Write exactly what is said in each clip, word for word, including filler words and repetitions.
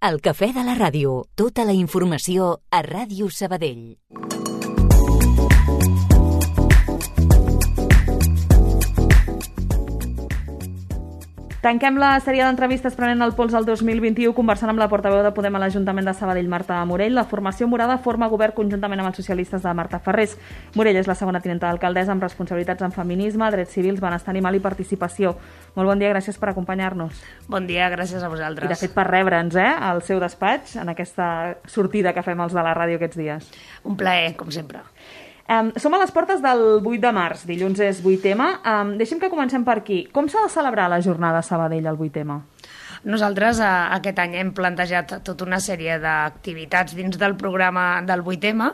El cafè de la ràdio. Tota la informació a Ràdio Sabadell. Tanquem la sèrie d'entrevistes prenent el pols al dos mil vint-i-u conversant amb la portaveu de Podem a l'Ajuntament de Sabadell, Marta Morell. La formació morada forma govern conjuntament amb els socialistes de Marta Ferrés. Morell és la segona tinenta d'alcaldessa amb responsabilitats en feminisme, drets civils, benestar animal i participació. Molt bon dia, gràcies per acompanyar-nos. Bon dia, gràcies a vosaltres. I de fet per rebre'ns eh, al seu despatx en aquesta sortida que fem els de la ràdio aquests dies. Un plaer, com sempre. Um, som a les portes del vuit de març, dilluns és vuit ema. Um, deixem que comencem per aquí. Com s'ha de celebrar la jornada a Sabadell el vuit ema? Nosaltres eh, aquest any hem plantejat tota una sèrie d'activitats dins del programa del vuit ema,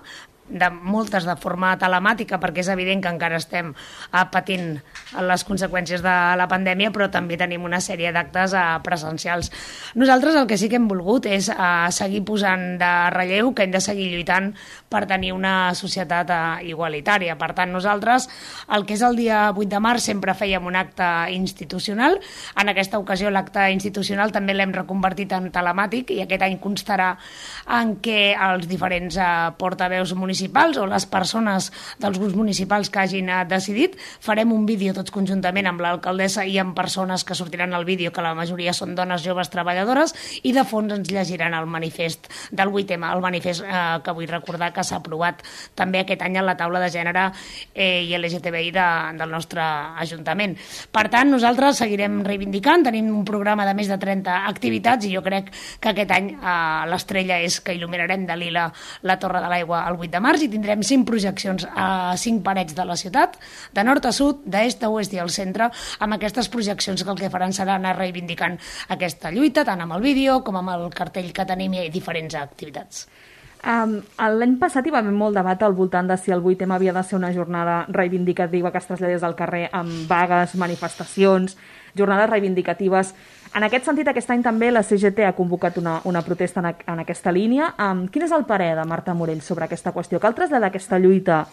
de moltes de forma telemàtica, perquè és evident que encara estem eh, patint les conseqüències de la pandèmia, però també tenim una sèrie d'actes eh, presencials. Nosaltres el que sí que hem volgut és eh, seguir posant de relleu que hem de seguir lluitant per tenir una societat eh, igualitària. Per tant, nosaltres el que és el dia vuit de març sempre fèiem un acte institucional. En aquesta ocasió l'acte institucional també l'hem reconvertit en telemàtic i aquest any constarà en què els diferents eh, portaveus municipals o les persones dels grups municipals que hagin decidit, farem un vídeo tots conjuntament amb l'alcaldessa i amb persones que sortiran al vídeo, que la majoria són dones joves treballadores, i de fons ens llegiran el manifest del vuit ema, el manifest eh, que vull recordar que s'ha aprovat també aquest any a la taula de gènere eh, i L G T B I de, del nostre Ajuntament. Per tant, nosaltres seguirem reivindicant, tenim un programa de més de trenta activitats i jo crec que aquest any eh, l'estrella és que il·luminarem de lila la Torre de l'Aigua el vuit de març i tindrem cinc projeccions a cinc parets de la ciutat, de nord a sud, d'est a oest i al centre, amb aquestes projeccions que el que faran serà anar reivindicant aquesta lluita, tant amb el vídeo com amb el cartell que tenim i diferents activitats. Um, L'any passat hi va haver molt debat al voltant de si el vuit ema havia de ser una jornada reivindicativa que es traslladés al carrer amb vagues, manifestacions, jornades reivindicatives. En aquest sentit, aquest any també la C G T ha convocat una, una protesta en, a, en aquesta línia. Um, quin és el parer de Marta Morell sobre aquesta qüestió? Cal traslladar aquesta lluita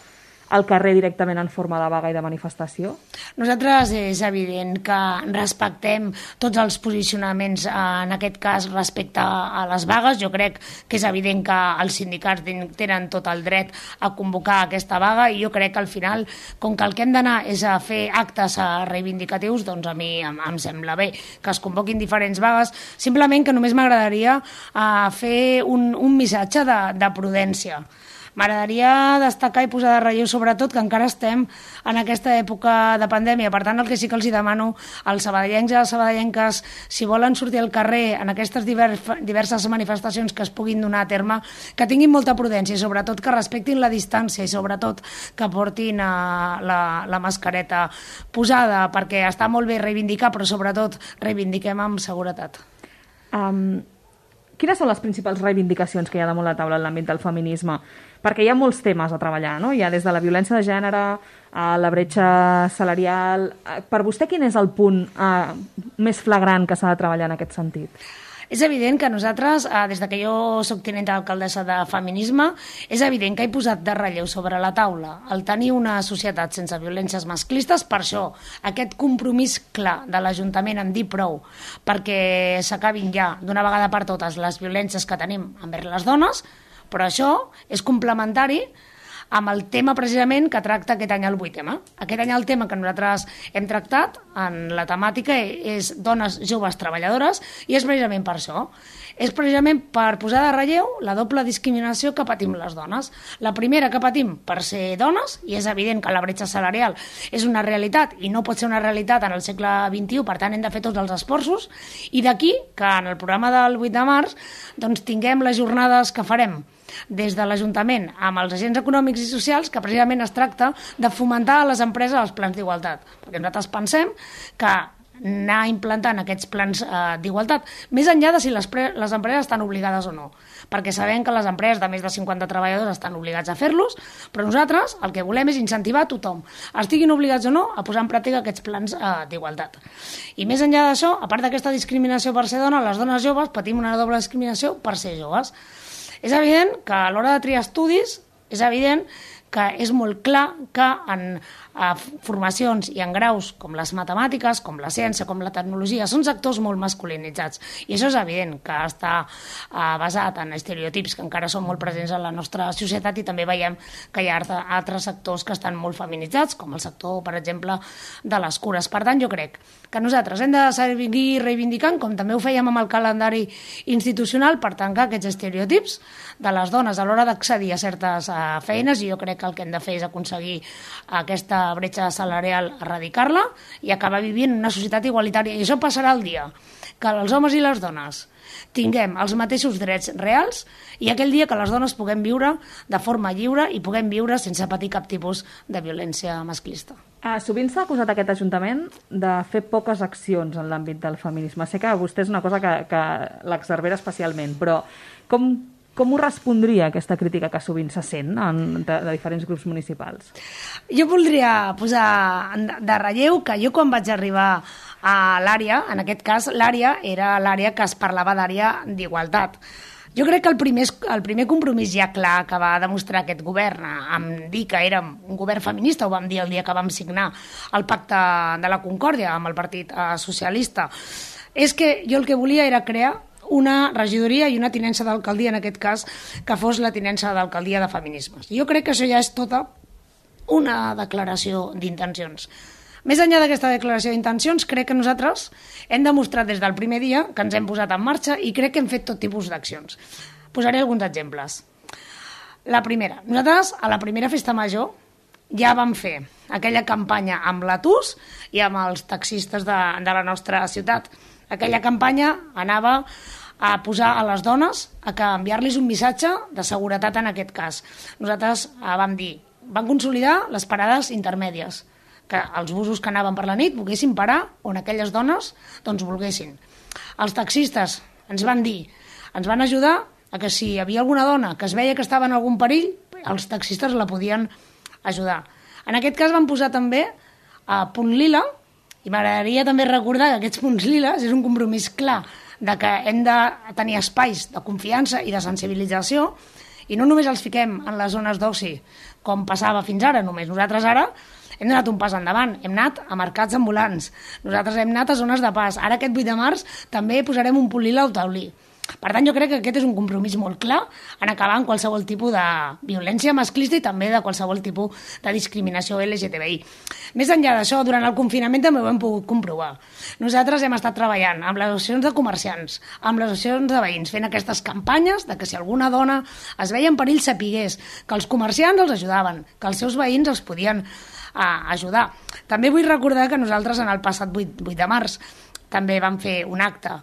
al carrer directament en forma de vaga i de manifestació? Nosaltres és evident que respectem tots els posicionaments, en aquest cas respecte a les vagues. Jo crec que és evident que els sindicats tenen tot el dret a convocar aquesta vaga i jo crec que al final, com que el que hem d'anar és a fer actes reivindicatius, doncs a mi em, em sembla bé que es convoquin diferents vagues, simplement que només m'agradaria uh, fer un, un missatge de, de prudència. M'agradaria destacar i posar de relleu sobretot que encara estem en aquesta època de pandèmia. Per tant, el que sí que els demano als sabadellencs i a les sabadellenques, si volen sortir al carrer en aquestes diverses manifestacions que es puguin donar a terme, que tinguin molta prudència i sobretot que respectin la distància i sobretot que portin la, la mascareta posada, perquè està molt bé reivindicar, però sobretot reivindiquem amb seguretat. Um, quines són les principals reivindicacions que hi ha damunt la taula en l'àmbit del feminisme? Perquè hi ha molts temes a treballar, no? Hi ha des de la violència de gènere a la bretxa salarial. Per vostè, quin és el punt eh, més flagrant que s'ha de treballar en aquest sentit? És evident que nosaltres, eh, des de que jo soc tinenta d'alcaldessa de feminisme, és evident que he posat de relleu sobre la taula el tenir una societat sense violències masclistes. Per això, aquest compromís clar de l'Ajuntament en dir prou perquè s'acabin ja d'una vegada per totes les violències que tenim envers les dones, però això és complementari amb el tema precisament que tracta aquest any el vuit ema. Aquest any el tema que nosaltres hem tractat en la temàtica és dones joves treballadores i és precisament per això. És precisament per posar de relleu la doble discriminació que patim les dones. La primera que patim per ser dones, i és evident que la bretxa salarial és una realitat i no pot ser una realitat en el segle vint-i-u, per tant hem de fer tots els esforços, i d'aquí que en el programa del vuit de març doncs, tinguem les jornades que farem des de l'Ajuntament amb els agents econòmics i socials, que precisament es tracta de fomentar a les empreses els plans d'igualtat. Perquè nosaltres pensem que anar implantant aquests plans eh, d'igualtat, més enllà de si les, les empreses estan obligades o no, perquè sabem que les empreses de més de cinquanta treballadors estan obligats a fer-los, però nosaltres el que volem és incentivar a tothom, estiguin obligats o no, a posar en pràctica aquests plans eh, d'igualtat. I més enllà d'això, a part d'aquesta discriminació per ser dona, les dones joves patim una doble discriminació per ser joves. És evident que a l'hora de triar estudis, és evident que que és molt clar que en a formacions i en graus com les matemàtiques, com la ciència, com la tecnologia, són sectors molt masculinitzats. I això és evident, que està uh, basat en estereotips que encara són molt presents en la nostra societat, i també veiem que hi ha altres sectors que estan molt feminitzats, com el sector, per exemple, de les cures. Per tant, jo crec que nosaltres hem de seguir reivindicant, com també ho fèiem amb el calendari institucional, per tancar aquests estereotips de les dones a l'hora d'accedir a certes uh, feines, i jo crec que el que hem de fer és aconseguir aquesta bretxa salarial, erradicar-la i acabar vivint en una societat igualitària. I això passarà el dia que els homes i les dones tinguem els mateixos drets reals, i aquell dia que les dones puguem viure de forma lliure i puguem viure sense patir cap tipus de violència masclista. Ah, sovint s'ha acusat aquest Ajuntament de fer poques accions en l'àmbit del feminisme. Sé que a vostè és una cosa que, que l'exaspera especialment, però com, com ho respondria aquesta crítica que sovint se sent en, de, de diferents grups municipals? Jo voldria posar de relleu que jo, quan vaig arribar a l'àrea, en aquest cas l'àrea era l'àrea que es parlava d'àrea d'igualtat. Jo crec que el primer, el primer compromís ja clar que va demostrar aquest govern amb dir que érem un govern feminista, ho vam dir el dia que vam signar el Pacte de la Concòrdia amb el Partit Socialista, és que jo el que volia era crear una regidoria i una tinença d'alcaldia, en aquest cas, que fos la tinença d'alcaldia de feminismes. Jo crec que això ja és tota una declaració d'intencions. Més enllà d'aquesta declaració d'intencions, crec que nosaltres hem demostrat des del primer dia que ens hem posat en marxa, i crec que hem fet tot tipus d'accions. Posaré alguns exemples. La primera, nosaltres a la primera festa major ja vam fer aquella campanya amb l'Atus i amb els taxistes de, de la nostra ciutat. Aquella campanya anava a posar a les dones, a enviar-los un missatge de seguretat en aquest cas. Nosaltres vam dir, vam consolidar les parades intermèdies, que els busos que anaven per la nit volguessin parar on aquelles dones doncs volguessin. Els taxistes ens van dir, ens van ajudar a que si hi havia alguna dona que es veia que estava en algun perill, els taxistes la podien ajudar. En aquest cas van posar també a Punt Lila, i m'agradaria també recordar que aquests punts liles és un compromís clar de que hem de tenir espais de confiança i de sensibilització, i no només els fiquem en les zones d'oci, com passava fins ara només. Nosaltres ara hem donat un pas endavant, hem anat a mercats ambulants, nosaltres hem anat a zones de pas. Ara aquest vuit de març també posarem un punt lila al taulí. Per tant, jo crec que aquest és un compromís molt clar en acabar amb qualsevol tipus de violència masclista i també de qualsevol tipus de discriminació L G T B I. Més enllà d'això, durant el confinament també ho hem pogut comprovar. Nosaltres hem estat treballant amb les associacions de comerciants, amb les associacions de veïns, fent aquestes campanyes de que si alguna dona es veia en perill sapigués que els comerciants els ajudaven, que els seus veïns els podien a ajudar. També vull recordar que nosaltres en el passat vuit de març també vam fer un acte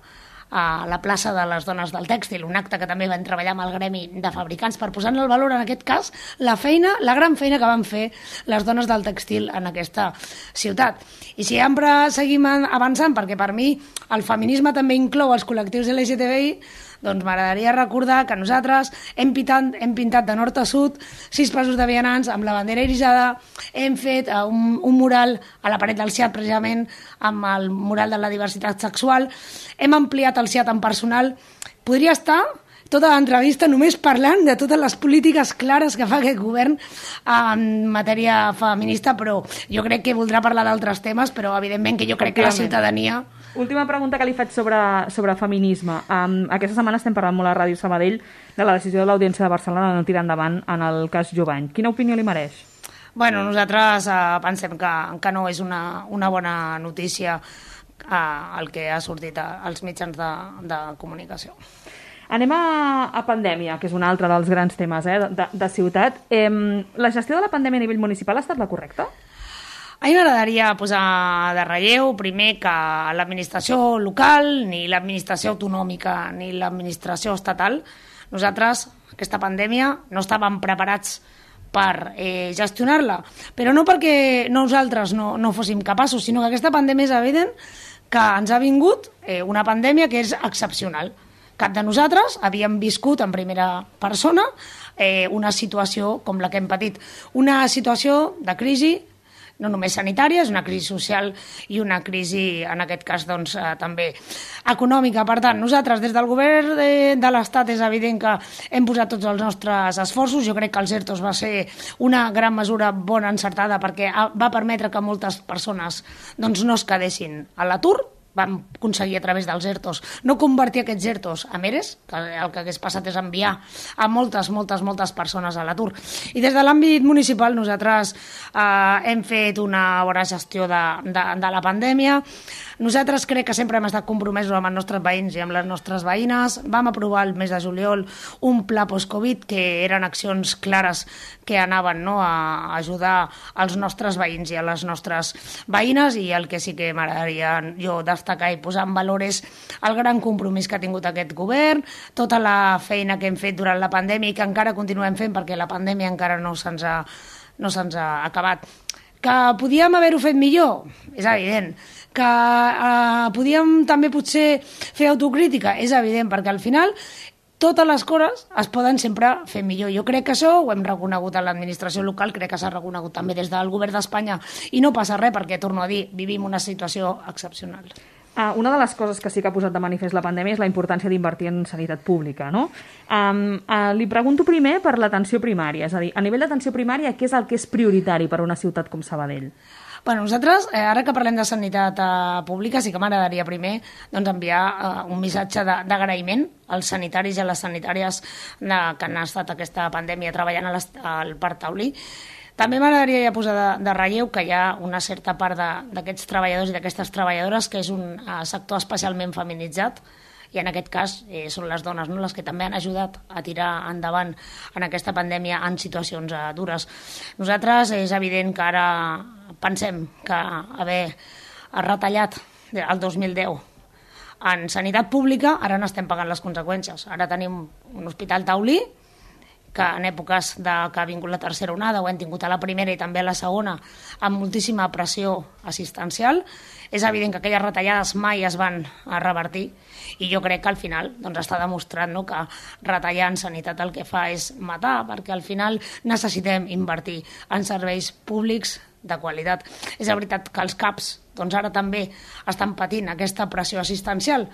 a la plaça de les dones del tèxtil, un acte que també vam treballar amb el gremi de fabricants per posar en el valor, en aquest cas, la feina, la gran feina que van fer les dones del tèxtil en aquesta ciutat. I si sempre seguim avançant, perquè per mi el feminisme també inclou els col·lectius L G T B I, doncs m'agradaria recordar que nosaltres hem pintat, hem pintat de nord a sud sis passos de vianants amb la bandera irisada, hem fet un, un mural a la paret del S I A T precisament amb el mural de la diversitat sexual, hem ampliat el S I A T en personal. Podria estar tota l'entrevista només parlant de totes les polítiques clares que fa aquest govern en matèria feminista, però jo crec que voldrà parlar d'altres temes, però evidentment que jo crec que la ciutadania... Última pregunta que li faig sobre, sobre feminisme. Um, aquesta setmana estem parlant molt a Ràdio Sabadell de la decisió de l'Audiència de Barcelona de no tirar endavant en el cas Jovany. Quina opinió li mereix? Bueno, nosaltres eh, pensem que, que no és una, una bona notícia eh, el que ha sortit als mitjans de, de comunicació. Anem a, a pandèmia, que és un altre dels grans temes eh, de, de ciutat. Eh, la gestió de la pandèmia a nivell municipal ha estat la correcta? A mi m'agradaria posar de relleu, primer, que l'administració local, ni l'administració autonòmica, ni l'administració estatal, nosaltres, aquesta pandèmia, no estàvem preparats per eh, gestionar-la. Però no perquè nosaltres no, no fóssim capaços, sinó que aquesta pandèmia és evident que ens ha vingut eh, una pandèmia que és excepcional. Cap de nosaltres havíem viscut en primera persona eh, una situació com la que hem patit. Una situació de crisi no només sanitària, és una crisi social i una crisi, en aquest cas, doncs, eh, també econòmica. Per tant, nosaltres, des del govern de, de l'Estat, és evident que hem posat tots els nostres esforços. Jo crec que els ERTOs va ser una gran mesura bona, encertada, perquè va permetre que moltes persones doncs, no es quedessin a l'atur. Vam aconseguir a través dels ERTOs no convertir aquests ERTOs a MERES, que el que hagués passat és enviar a moltes, moltes, moltes persones a l'atur. I des de l'àmbit municipal nosaltres eh, hem fet una bona gestió de, de, de la pandèmia. Nosaltres crec que sempre hem estat compromesos amb els nostres veïns i amb les nostres veïnes. Vam aprovar el mes de juliol un pla post-Covid que eren accions clares que anaven, no, a ajudar als nostres veïns i a les nostres veïnes, i el que sí que m'agradaria jo destacar i posar en valor és el gran compromís que ha tingut aquest govern, tota la feina que hem fet durant la pandèmia i que encara continuem fent perquè la pandèmia encara no se'ns ha, no se'ns ha acabat. Que podíem haver-ho fet millor? És evident. Que eh, podíem també potser fer autocrítica? És evident, perquè al final totes les coses es poden sempre fer millor. Jo crec que això ho hem reconegut a l'administració local, crec que s'ha reconegut també des del govern d'Espanya, i no passa res perquè, torno a dir, vivim una situació excepcional. Uh, una de les coses que sí que ha posat de manifest la pandèmia és la importància d'invertir en sanitat pública, no? Um, uh, li pregunto primer per l'atenció primària, és a dir, a nivell d'atenció primària, què és el que és prioritari per a una ciutat com Sabadell? Bueno, nosaltres, eh, ara que parlem de sanitat eh, pública, sí que m'agradaria primer doncs, enviar eh, un missatge d'agraïment als sanitaris i a les sanitàries de, que han estat aquesta pandèmia treballant a al Parc Taulí. També m'agradaria ja posar de, de relleu que hi ha una certa part d'aquests treballadors i d'aquestes treballadores que és un uh, sector especialment feminitzat, i en aquest cas eh, són les dones, no?, les que també han ajudat a tirar endavant en aquesta pandèmia en situacions eh, dures. Nosaltres és evident que ara pensem que haver retallat el dos mil deu en sanitat pública, ara n'estem pagant les conseqüències. Ara tenim un hospital taulí que en èpoques de, que ha vingut la tercera onada, ho hem tingut a la primera i també a la segona, amb moltíssima pressió assistencial. És evident que aquelles retallades mai es van revertir, i jo crec que al final doncs, està demostrat, no?, que retallar en sanitat el que fa és matar, perquè al final necessitem invertir en serveis públics de qualitat. És veritat que els CAPs doncs ara també estan patint aquesta pressió assistencial,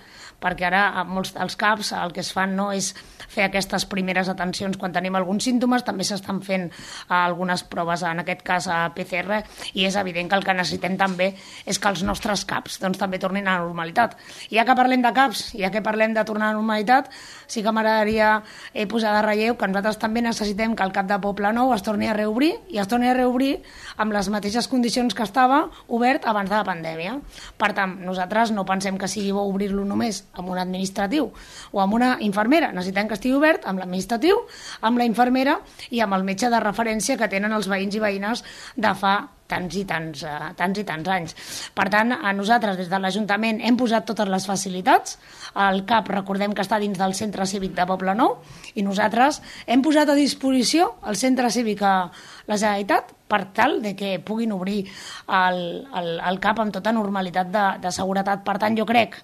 perquè ara a molts dels CAPs el que es fan no és fer aquestes primeres atencions quan tenim alguns símptomes, també s'estan fent algunes proves, en aquest cas a P C R, i és evident que el que necessitem també és que els nostres CAPs doncs, també tornin a la normalitat. I ja que parlem de CAPs, ja que parlem de tornar a la normalitat, sí que m'agradaria eh, posar de relleu que nosaltres també necessitem que el CAP de Poblenou es torni a reobrir, i es torni a reobrir amb les mateixes condicions que estava obert abans de la pandèmia. Per tant, nosaltres no pensem que sigui bo obrir-lo només amb un administratiu o amb una infermera. Necessitem que estigui obert amb l'administratiu, amb la infermera i amb el metge de referència que tenen els veïns i veïnes de fa tants i tants, uh, tants i tants anys. Per tant, a nosaltres des de l'Ajuntament hem posat totes les facilitats. El CAP, recordem que està dins del Centre Cívic de Poblenou, i nosaltres hem posat a disposició el Centre Cívic a la Generalitat per tal de que puguin obrir el, el, el CAP amb tota normalitat de, de seguretat. Per tant, jo crec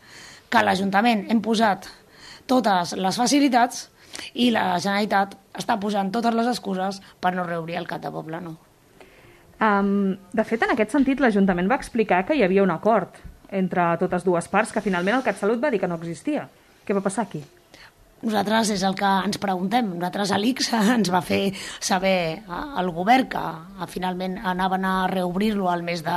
que a l'Ajuntament hem posat totes les facilitats i la Generalitat està posant totes les excuses per no reobrir el CAP de Poblenou. Um, de fet, en aquest sentit, l'Ajuntament va explicar que hi havia un acord entre totes dues parts, que finalment el CatSalut va dir que no existia. Què va passar aquí? Nosaltres és el que ens preguntem. Nosaltres a l'I C S ens va fer saber el govern que finalment anaven a reobrir-lo al mes de,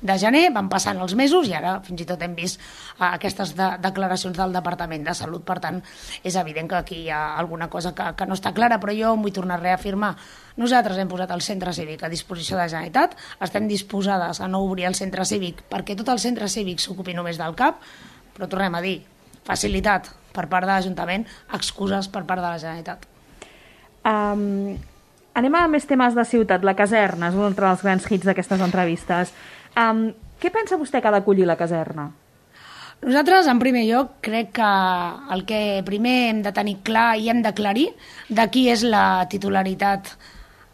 de gener, van passant els mesos i ara fins i tot hem vist aquestes de, declaracions del Departament de Salut. Per tant, és evident que aquí hi ha alguna cosa que, que no està clara, però jo em vull tornar a reafirmar. Nosaltres hem posat el centre cívic a disposició de la Generalitat, estem disposades a no obrir el centre cívic perquè tot el centre cívic s'ocupi només del CAP, però tornem a dir, facilitat per part de l'Ajuntament, excuses per part de la Generalitat. Um, anem a més temes de ciutat. La caserna és un altre dels grans hits d'aquestes entrevistes. Um, què pensa vostè que ha d'acollir la caserna? Nosaltres, en primer lloc, crec que el que primer hem de tenir clar i hem d'aclarir de qui és la titularitat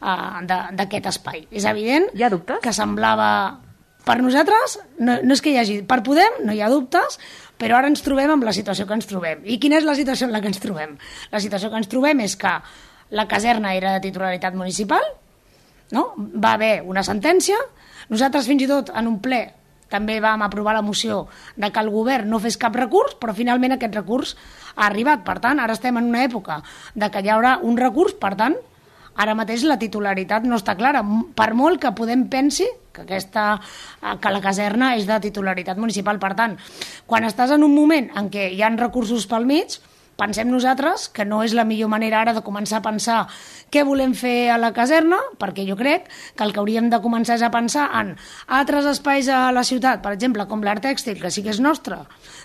uh, d'aquest espai. És evident Hi ha dubtes? Que semblava... Per nosaltres, no, no és que hi hagi... Per Podem no hi ha dubtes, però ara ens trobem amb la situació que ens trobem. I quina és la situació en la que ens trobem? La situació que ens trobem és que la caserna era de titularitat municipal, no? Va haver una sentència, Nosaltres fins i tot en un ple també vam aprovar la moció de que el govern no fes cap recurs, però finalment aquest recurs ha arribat. Per tant, ara estem en una època de que hi haurà un recurs, per tant, ara mateix la titularitat no està clara. Per molt que Podem pensi que, aquesta, que la caserna és de titularitat municipal. Per tant, quan estàs en un moment en què hi ha recursos pel mig, pensem nosaltres que no és la millor manera ara de començar a pensar què volem fer a la caserna, perquè jo crec que el que hauríem de començar és a pensar en altres espais a la ciutat, per exemple, com l'art tèxtil, que sí que és nostre.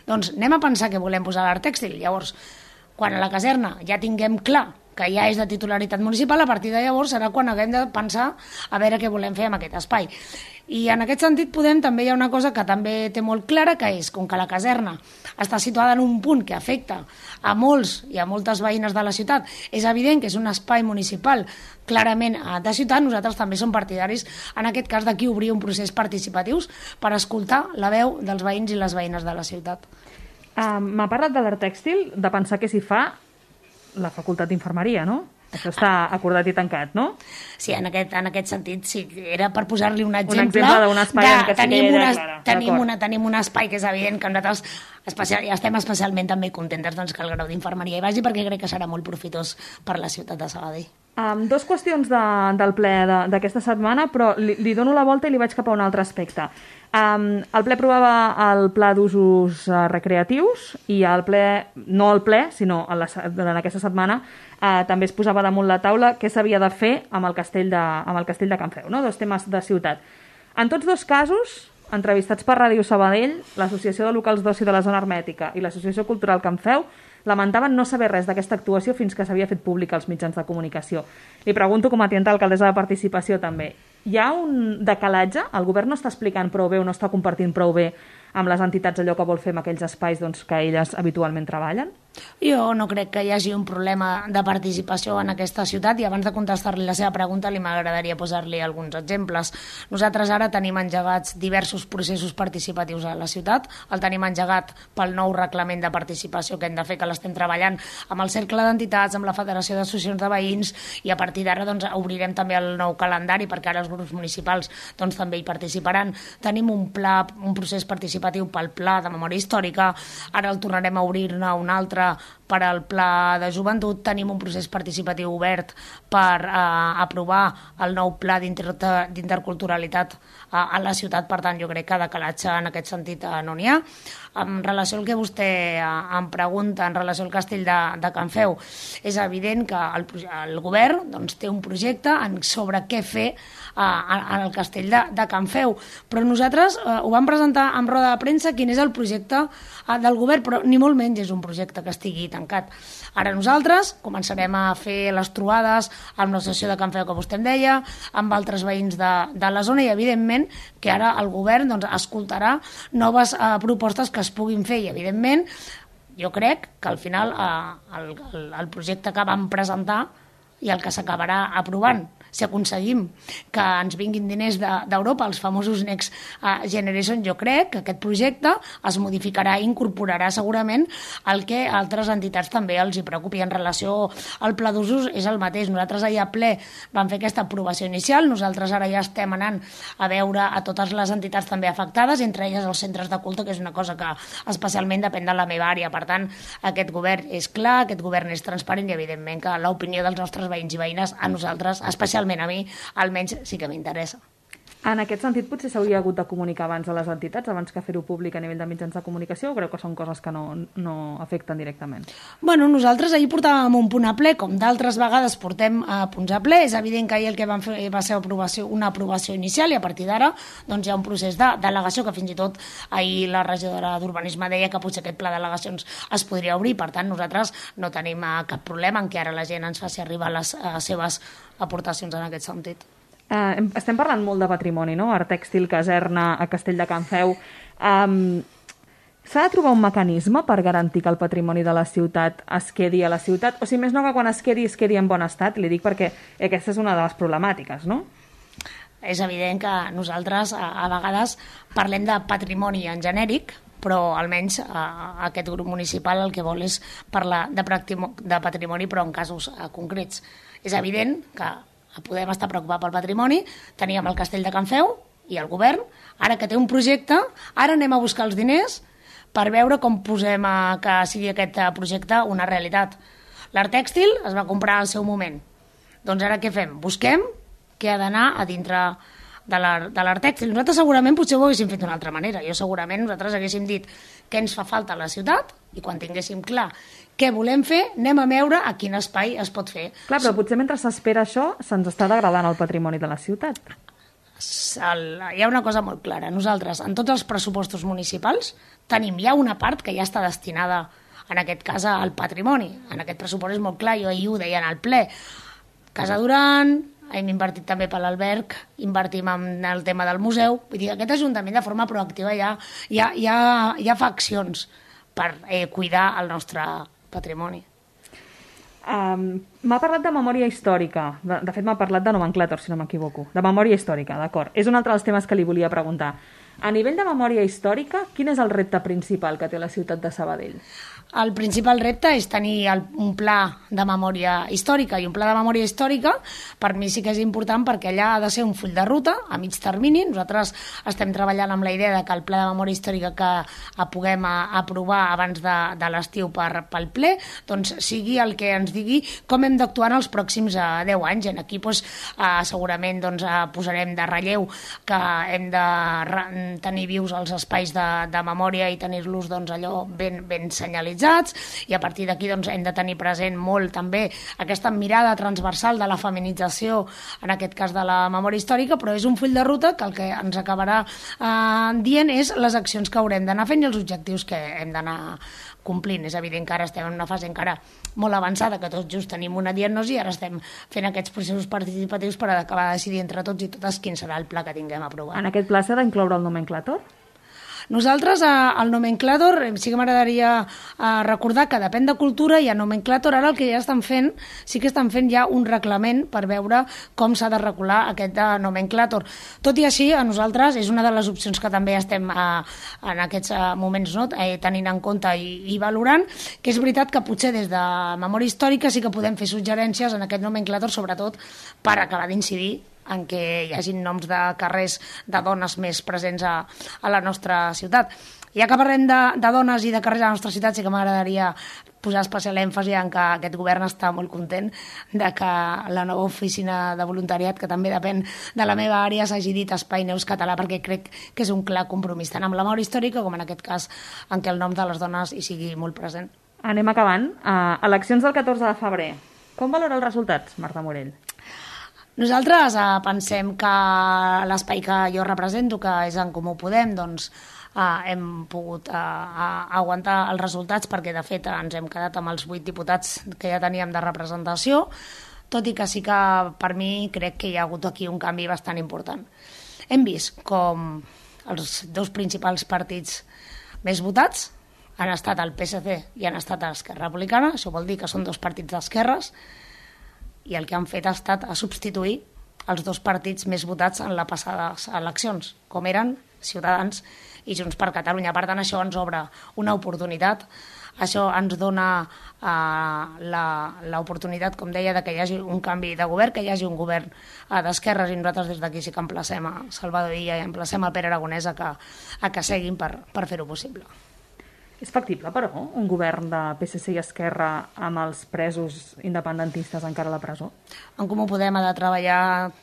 Doncs anem a pensar què volem posar a l'art tèxtil. Llavors, quan a la caserna ja tinguem clar que ja és de titularitat municipal, a partir de llavors serà quan haguem de pensar a veure què volem fer amb aquest espai. I en aquest sentit Podem també hi ha una cosa que també té molt clara, que és, com que la caserna està situada en un punt que afecta a molts i a moltes veïnes de la ciutat, és evident que és un espai municipal clarament de ciutat, nosaltres també som partidaris, en aquest cas, d'aquí obrir un procés participatiu per escoltar la veu dels veïns i les veïnes de la ciutat. Uh, M'ha parlat de l'art tèxtil, de pensar que s'hi fa la facultat d'infermeria, no? Això està acordat i tancat, no? Sí, en aquest, en aquest sentit, sí, era per posar-li un exemple. Un exemple d'un espai de, en què sí que tenim, era una, clara. tenim, una, tenim un espai que és evident que nosaltres especial, estem especialment també contentes doncs, que el grau d'infermeria hi vagi, perquè crec que serà molt profitós per la ciutat de Sabadell. Um, dos qüestions de, del ple d'aquesta setmana, però li, li dono la volta i li vaig cap a un altre aspecte. Um, el ple aprovava el pla d'usos uh, recreatius i el ple, no el ple, sinó en, la, en aquesta setmana uh, també es posava damunt la taula què s'havia de fer amb el castell de, amb el castell de Can Feu, no? Dos temes de ciutat. En tots dos casos, entrevistats per Ràdio Sabadell, l'Associació de Locals d'Oci de la Zona Hermètica i l'Associació Cultural Can Feu lamentaven no saber res d'aquesta actuació fins que s'havia fet pública als mitjans de comunicació. Li pregunto com a tinent alcaldessa de participació també. Hi ha un decalatge? El govern no està explicant prou bé o no està compartint prou bé amb les entitats allò que vol fer amb aquells espais doncs, que elles habitualment treballen? Jo no crec que hi hagi un problema de participació en aquesta ciutat i abans de contestar-li la seva pregunta li m'agradaria posar-li alguns exemples. Nosaltres ara tenim engegats diversos processos participatius a la ciutat, el tenim engegat pel nou reglament de participació que hem de fer, que l'estem treballant amb el cercle d'entitats, amb la Federació d'Associacions de Veïns i a partir d'ara doncs, obrirem també el nou calendari perquè ara els grups municipals doncs, també hi participaran. Tenim un pla, un procés participatiu pel pla de memòria històrica, ara el tornarem a obrir-ne un altre per al pla de joventut, tenim un procés participatiu obert per eh, aprovar el nou pla d'interculturalitat eh, a la ciutat, per tant jo crec que de calatge en aquest sentit eh, no n'hi ha. En relació al que vostè eh, em pregunta en relació al castell de, de Can Feu, és evident que el, el govern doncs, té un projecte en, sobre què fer eh, en el castell de, de Can Feu, però nosaltres eh, ho vam presentar en roda de premsa quin és el projecte eh, del govern, però ni molt menys és un projecte que estigui tancat. Ara nosaltres començarem a fer les trobades amb l'associació de Can Feu que vostè em deia, amb altres veïns de, de la zona i evidentment que ara el govern doncs, escoltarà noves eh, propostes que es puguin fer i evidentment jo crec que al final eh, el, el, el projecte que vam presentar i el que s'acabarà aprovant si aconseguim que ens vinguin diners d'Europa, els famosos Next Generation, jo crec que aquest projecte es modificarà i incorporarà segurament el que altres entitats també els hi preocupi. En relació al pla d'usos és el mateix. Nosaltres ahir a ple vam fer aquesta aprovació inicial, nosaltres ara ja estem anant a veure a totes les entitats també afectades, entre elles els centres de culte, que és una cosa que especialment depèn de la meva àrea. Per tant, aquest govern és clar, aquest govern és transparent i evidentment que l'opinió dels nostres veïns i veïnes a nosaltres, especialment a mi, almenys sí que m'interessa. En aquest sentit, potser s'hauria hagut de comunicar abans a les entitats, abans que fer-ho públic a nivell de mitjans de comunicació, o creu que són coses que no, no afecten directament? Bueno, nosaltres ahir portàvem un punt a ple, com d'altres vegades portem a punts a ple. És evident que ahir el que vam fer va ser aprovació, una aprovació inicial i a partir d'ara doncs, hi ha un procés de delegació que fins i tot ahir la regidora d'Urbanisme deia que potser aquest pla de delegacions es podria obrir. Per tant, nosaltres no tenim cap problema en que ara la gent ens faci arribar les uh, seves aportacions en aquest sentit. Uh, estem parlant molt de patrimoni, no? Art tèxtil, caserna, a Castell de Can Feu. Um, S'ha de trobar un mecanisme per garantir que el patrimoni de la ciutat es quedi a la ciutat, o si més no que quan es quedi, es quedi en bon estat. Li dic perquè aquesta és una de les problemàtiques, no? És evident que nosaltres a, a vegades parlem de patrimoni en genèric, però almenys eh, aquest grup municipal el que vol és parlar de, de patrimoni, però en casos eh, concrets. És evident que podem estar preocupats pel patrimoni, teníem el castell de Can Feu, i el govern, ara que té un projecte, ara anem a buscar els diners per veure com posem a que sigui aquest projecte una realitat. L'Art Tèxtil es va comprar al seu moment. Doncs ara què fem? Busquem què ha d'anar a dintre de l'Art Tèxtil. Nosaltres segurament potser ho haguéssim fet d'una altra manera. Jo segurament nosaltres haguéssim dit què ens fa falta a la ciutat i quan tinguéssim clar què volem fer, anem a veure a quin espai es pot fer. Clar, però potser mentre s'espera això se'ns està degradant el patrimoni de la ciutat. El, hi ha una cosa molt clara. Nosaltres, en tots els pressupostos municipals, tenim ja una part que ja està destinada, en aquest cas, al patrimoni. En aquest pressupost és molt clar, jo ahir ho deia en el ple. Casa Duran, hem invertit també per l'Alberg, invertim en el tema del museu. Vull dir, aquest Ajuntament de forma proactiva ja, ja, ja, ja fa accions per eh, cuidar el nostre patrimoni. Um, m'ha parlat de memòria històrica. De, de fet, m'ha parlat de nomenclàtor, si no m'equivoco. De memòria històrica, d'acord. És un altre dels temes que li volia preguntar. A nivell de memòria històrica, quin és el repte principal que té la ciutat de Sabadell? El principal repte és tenir el, un pla de memòria històrica, i un pla de memòria històrica per mi sí que és important perquè allà ha de ser un full de ruta a mig termini. Nosaltres estem treballant amb la idea de que el pla de memòria històrica que a, puguem a, aprovar abans de, de l'estiu per, pel ple, doncs sigui el que ens digui com hem d'actuar en els pròxims eh, deu anys. I aquí doncs, eh, segurament doncs, eh, posarem de relleu que hem de re, tenir vius els espais de, de memòria i tenir-los doncs, allò ben, ben senyalitzats, i a partir d'aquí doncs, hem de tenir present molt també aquesta mirada transversal de la feminització, en aquest cas de la memòria històrica, però és un full de ruta que el que ens acabarà eh, dient és les accions que haurem d'anar fent i els objectius que hem d'anar complint. És evident que ara estem en una fase encara molt avançada, que tots just tenim una diagnosi i ara estem fent aquests processos participatius per acabar de decidir entre tots i totes quin serà el pla que tinguem aprovat. En aquest pla s'ha d'incloure el nomenclàtor? Nosaltres, al nomenclàtor, sí que m'agradaria recordar que depèn de cultura i a nomenclàtor ara el que ja estan fent, sí que estan fent ja un reglament per veure com s'ha de regular aquest nomenclàtor. Tot i així, a nosaltres és una de les opcions que també estem en aquests moments no, tenint en compte i, i valorant, que és veritat que potser des de memòria històrica sí que podem fer suggerències en aquest nomenclàtor, sobretot per acabar d'incidir en què hi hagi noms de carrers de dones més presents a, a la nostra ciutat. Ja que parlem de, de dones i de carrers a la nostra ciutat, sí que m'agradaria posar especial èmfasi en que aquest govern està molt content de que la nova oficina de voluntariat, que també depèn de la meva àrea, s'hagi dit Espai Neus Català, perquè crec que és un clar compromís tant amb la memòria històrica com en aquest cas en què el nom de les dones hi sigui molt present. Anem acabant. Uh, eleccions del catorze de febrer. Com valora els resultats, Marta Morell? Nosaltres eh, pensem que l'espai que jo represento, que és En Comú Podem, doncs eh, hem pogut eh, aguantar els resultats perquè de fet ens hem quedat amb els vuit diputats que ja teníem de representació, tot i que sí que per mi crec que hi ha hagut aquí un canvi bastant important. Hem vist com els dos principals partits més votats han estat el P S C i han estat Esquerra Republicana, això vol dir que són dos partits d'esquerres, i el que han fet ha estat a substituir els dos partits més votats en les passades eleccions, com eren Ciutadans i Junts per Catalunya. Per tant, això ens obre una oportunitat, això ens dona eh, l'oportunitat, com deia, de que hi hagi un canvi de govern, que hi hagi un govern eh, d'esquerres, i nosaltres des d'aquí sí que emplacem a Salvador Illa i emplacem a Pere Aragonès a que, a que seguin per, per fer-ho possible. És factible, però, un govern de P S C i Esquerra amb els presos independentistes encara a la presó? En Comú Podem ha de treballar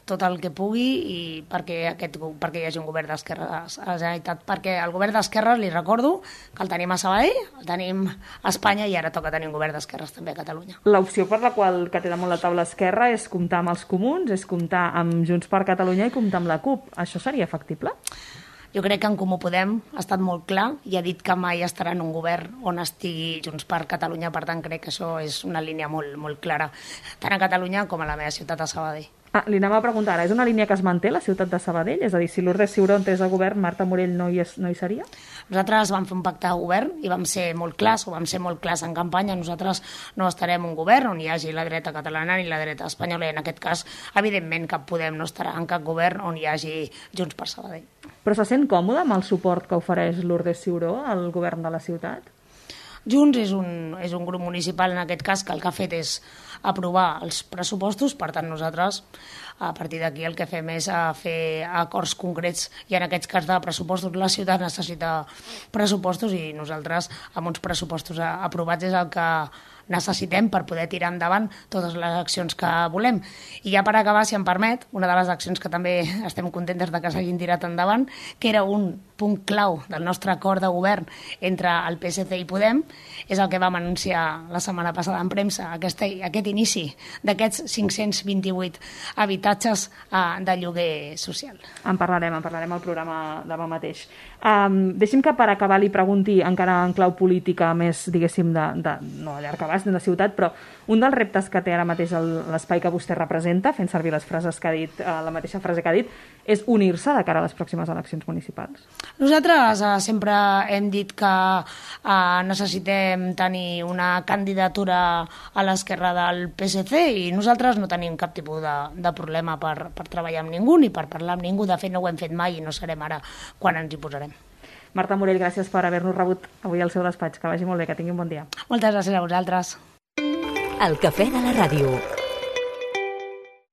tot el que pugui i perquè, aquest, perquè hi hagi un govern d'esquerra a la Generalitat. Perquè el govern d'esquerra, li recordo, que el tenim a Sabadell, el tenim a Espanya i ara toca tenir un govern d'esquerres també a Catalunya. L'opció per la qual que té damunt la taula Esquerra és comptar amb els comuns, és comptar amb Junts per Catalunya i comptar amb la CUP. Això seria factible? Jo crec que En Comú Podem ha estat molt clar i ha dit que mai estarà en un govern on estigui Junts per Catalunya, per tant crec que això és una línia molt, molt clara, tant a Catalunya com a la meva ciutat, a Sabadell. Ah, li anava a preguntar ara, és una línia que es manté la ciutat de Sabadell? És a dir, si Lourdes Ciuró entrés a govern, Marta Morell no hi, és, no hi seria? Nosaltres vam fer un pacte de govern i vam ser molt clars, o vam ser molt clars en campanya. Nosaltres no estarem en un govern on hi hagi la dreta catalana ni la dreta espanyola, i en aquest cas, evidentment, cap Podem no estarà en cap govern on hi hagi Junts per Sabadell. Però se sent còmode amb el suport que ofereix Lourdes Ciuró al govern de la ciutat? Junts és un, és un grup municipal, en aquest cas, que el que ha fet és aprovar els pressupostos, per tant nosaltres a partir d'aquí el que fem és a fer acords concrets i en aquests cas de pressupostos la ciutat necessita pressupostos i nosaltres amb uns pressupostos aprovats és el que necessitem per poder tirar endavant totes les accions que volem. I ja per acabar, si em permet, una de les accions que també estem contentes de que s'hagin tirat endavant, que era un punt clau del nostre acord de govern entre el P S C i Podem, és el que vam anunciar la setmana passada en premsa, aquest, aquest inici d'aquests cinc-cents vint-i-vuit habitatges uh, de lloguer social. En parlarem, en parlarem al programa demà mateix. Um, deixi'm que per acabar li pregunti, encara en clau política, més, diguéssim, de, de, no a llarg abast, de la ciutat, però un dels reptes que té ara mateix l'espai que vostè representa, fent servir les frases que ha dit, uh, la mateixa frase que ha dit, és unir-se de cara a les pròximes eleccions municipals. Nosaltres uh, sempre hem dit que uh, necessitem tenir una candidatura a l'esquerra del P S C i nosaltres no tenim cap tipus de, de problema per, per treballar amb ningú ni per parlar amb ningú. De fet, no ho hem fet mai i no serem ara quan ens hi posarem. Marta Morell, gràcies per haver-nos rebut avui al seu despatx. Que vagi molt bé, que tingui un bon dia. Moltes gràcies a vosaltres. El cafè de la ràdio.